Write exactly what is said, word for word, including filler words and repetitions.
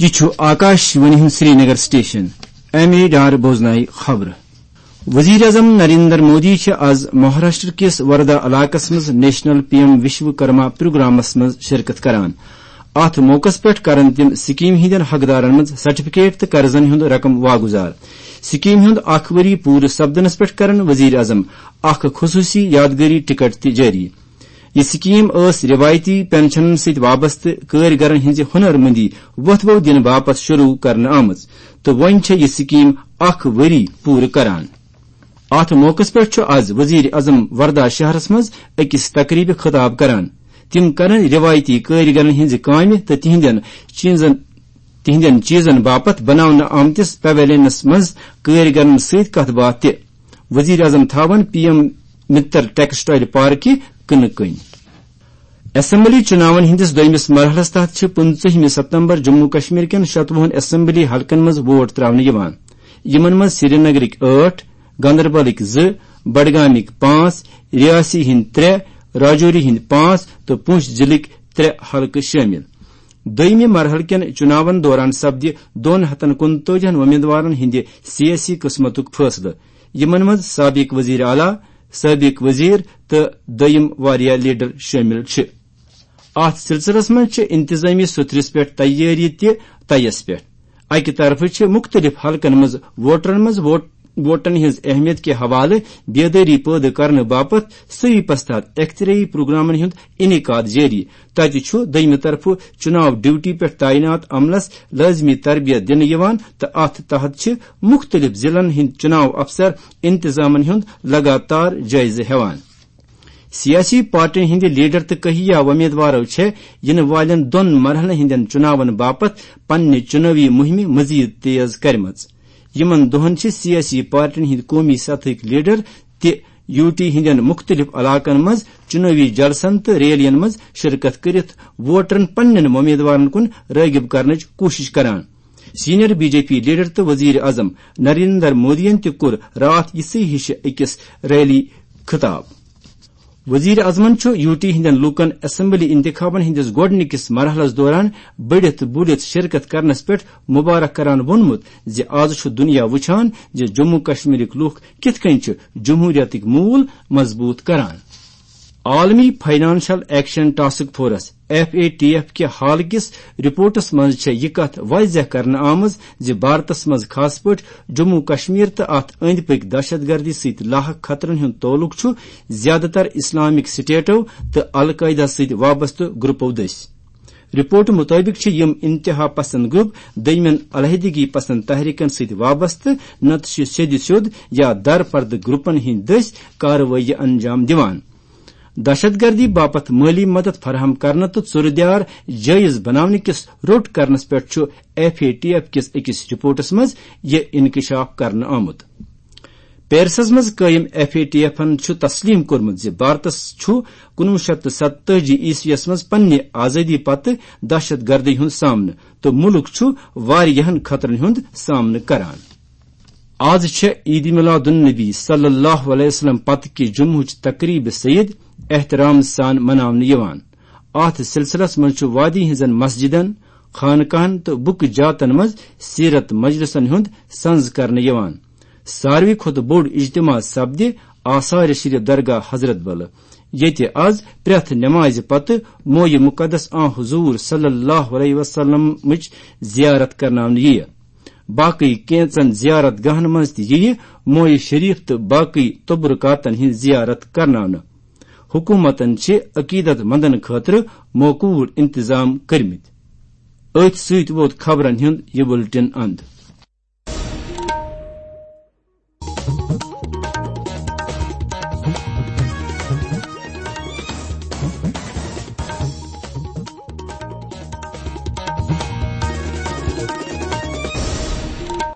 یہِ چھُ آکاش وانی ہُنٛد Srinagar station. M A Dar بوزنایہِ خبرٕ۔ وزیر اعظم نریندر مودی چھِ آز مہاراشٹر کِس وردا علاقس منٛز نیشنل پی ایم وشوکرما پروگرامس منٛز شرکت کران۔ اتھ موقعس پٮ۪ٹھ کرن تِم سکیمہِ ہٕنٛدٮ۪ن حقدارن منٛز سرٹیفکیٹ تہٕ قرضن ہُنٛد رقم واگُزار۔ سکیمہِ ہُنٛد اکھ ؤری پوٗرٕ سپدنس پٮ۪ٹھ کرن وزیر اعظم اکھ خصوٗصی یادگٲری ٹکٹ تہِ جٲری۔ یہِ سکیٖم ٲس رِوایتی پینشنن سۭتۍ وابستہٕ کٲرۍ گرن ہٕنٛزِ ہُنر مندی وۄتھبو دِنہٕ باپتھ شروٗع کرنہٕ آمٕژ تہٕ وۄنۍ چھےٚ یہِ سکیٖم اکھ ؤری پوٗرٕ کران۔ اتھ موقعس پٮ۪ٹھ چھُ از وزیر اعظم وردھا شہرس منٛز أکِس تقریبہِ خطاب کران۔ تِم کرن رِوایتی کٲرۍ گرن ہٕنٛزِ کامہِ تہٕ تِہنٛدٮ۪ن چیٖزن، تِہنٛدٮ۪ن چیٖزن باپتھ بناونہٕ آمتِس پیویلینس منٛز کٲرۍ گرن سۭتۍ کتھ باتھ تہِ۔ وزیر اعظم تھاون پی ایم متر ٹیکسٹائل پارکہِ کٕنہٕ کٔنۍ۔ اسمبلی چُناون ہٕنٛدِس دوٚیمِس مرحلس تحت چھِ پٕنٛژٕہمہِ ستمبر جموں کشمیر کٮ۪ن شتوُہن اسمبلی حلقن منٛز ووٹ تراونہٕ یِوان، یِمن منٛز سرینگرٕکۍ ٲٹھ، گاندربلٕکۍ زٕ، بڈگامٕکۍ پانٛژھ، ریاسی ہٕنٛدۍ ترٛےٚ، راجوری ہٕنٛدۍ پانٛژھ تہٕ پونچھ ضلعٕکۍ ترٛےٚ حلقہٕ شٲمِل۔ دوٚیمہِ مرحلہٕ کٮ۪ن چُناون دوران سپدِ دۄن ہتن کُنتٲجِہن وۄمیدوارن ہٕنٛدِ سیٲسی قٕسمتُک فٲصلہٕ، یِمن منٛز سابق وزیر اعلیٰ، سابق وزیر تہٕ دوٚیم واریاہ لیڈر شٲمِل چھِ۔ اتھ سلسلس منٛز چھِ انتظامی سوٚتھرِس پٮ۪ٹھ تیٲری تہِ طیس پٮ۪ٹھ۔ اکہِ طرفہٕ چھِ مُختٔلِف حلقن منٛز ووٹرن منٛز ووٹ-، ووٹن ہٕنٛز اہمیت کہِ حوالہٕ بیدٲری پٲدٕ کرنہٕ باپتھ صحیح پسند اختیٲری پروگرامن ہُنٛد انعقاد جٲری۔ تتہِ چھُ دوٚیمہِ طرفہٕ چُناو ڈیوٹی پٮ۪ٹھ تعینات عملس لٲزمی تربیت دِنہٕ یِوان تہٕ اتھ تحت چھِ مُختٔلِف ضلعن ہٕنٛدۍ چُناو افسر انتظامن ہُنٛد لگاتار جٲیزٕ ہٮ۪وان۔ سیاسی پارٹین ہٕنٛدِ لیڈر تہٕ کہیا وۄمیدوارو چھےٚ یِنہٕ والٮ۪ن دۄن مرحلن ہٕنٛدٮ۪ن چُناون باپتھ پننہِ چُنٲوی مُہِمہِ مزید تیز کرِمژ۔ یِمن دۄہن چھِ سیاسی پارٹین ہٕنٛدۍ قومی سطحٕکۍ لیڈر تہِ یوٗ ٹی ہٕنٛدٮ۪ن مُختٔلِف علاقن منٛز چُنٲوی جلسن تہٕ ریلین منٛز شرکت کٔرِتھ ووٹرن پننٮ۪ن وۄمیدوارن کُن رٲغب کرنٕچ کوٗشش کران۔ Senior B J P leader تہٕ وزیر اعظم نریندر مودیَن تہِ کوٚر راتھ یِژھٕے ہِشہِ أکِس ریلی خطاب۔ وزیر اعظمن چھُ یوٗ ٹی ہٕنٛدٮ۪ن لوٗکن اسمبلی انتخابن ہٕنٛدِس گۄڈٕنِکِس مرحلس دوران بٔڑِتھ بُلِتھ شرکت کرنس پٮ۪ٹھ مبارک کران ووٚنمُت زِ از چھُ دُنیا وُچھان زِ جموں کشمیرٕکۍ لوٗکھ کِتھ کٔنۍ چھِ جمہوریتٕکۍ موٗل مضبوٗط کران۔ عالمی financial action task force, F A T F, کہِ حال کِس رپورٹس منٛز چھےٚ یہِ کتھ واضح کرنہٕ آمٕژ زِ بھارتس منٛز، خاص پٲٹھۍ جموں کشمیر تہٕ اتھ أنٛدۍ پٔکۍ دہشت گردی سۭتۍ لاحق خطرن ہُنٛد تعلق چھُ زیادٕ تر اسلامک سٹیٹو تہٕ القاعدہ سۭتۍ وابستہٕ گروپو دٔسۍ۔ رپورٹ مطٲبق چھِ یِم انتہا پسند گروپ دوٚیمٮ۪ن علیحدگی پسند تحریکن سۭتۍ وابستہٕ، نتہٕ چھِ سیٚدِ سیوٚد یا درپردٕ گروپن ہٕنٛدۍ دٔسۍ کاروٲیی انجام دِوان۔ دہشت گردی باپتھ مٲلی مدد فراہم کرنہٕ تہٕ ژُرٕ دیار جٲیز بناونہٕ کِس روٚٹ کرنس پٮ۪ٹھ چھُ ایف اے ٹی ایف کِس أکِس رپورٹس منٛز یہِ انکشاف کرنہٕ آمُت۔ پیرسس منٛز قٲیِم ایف اے ٹی ایفن چھُ تسلیم کوٚرمُت زِ بھارتس چھُ کُنوُہ شیٚتھ تہٕ ستتٲجی عیسویس منٛز پننہِ آزٲدی پتہٕ دہشت گردی ہُنٛد سامنہٕ تہٕ مُلک چھُ واریاہن خطرن ہُنٛد سامنہٕ کران۔ آز چھےٚ عید میلاد النبی صلی اللہ علیہ وسلم پتہٕ کہِ جمعہٕچ تقریب سعید احترام سان مناونہٕ یِوان۔ اتھ سلسلس منٛز چھُ وادی ہٕنٛزن مسجدن، خانقاہن تہٕ بُکہٕ جاتن منٛز سیرت مجلسن ہُنٛد سنز کرنہٕ یِوان۔ ساروی کھۄتہٕ بوٚڑ اجتماع سپدِ آثار شریف درگاہ حضرت بلہٕ، ییٚتہِ از پرٛٮ۪تھ نمازِ پتہٕ مویہِ مقدس آن حضور صلی اللہ علیہ وسلمٕچ زیارت کرناونہٕ یِیہِ۔ باقٕے کینژن زیارت گاہن منٛز تہِ یِیہِ مویہِ شریف تہٕ باقٕے تبرکاتن ہٕنٛز زیارت کرناونہٕ۔ حکومتن چھِ عقیدت مندن خٲطرٕ موقوٗل انتظام کٔرمٕتۍ۔ أتھۍ سۭتۍ ووت خبرن ہُنٛد یہِ بُلٹن اند۔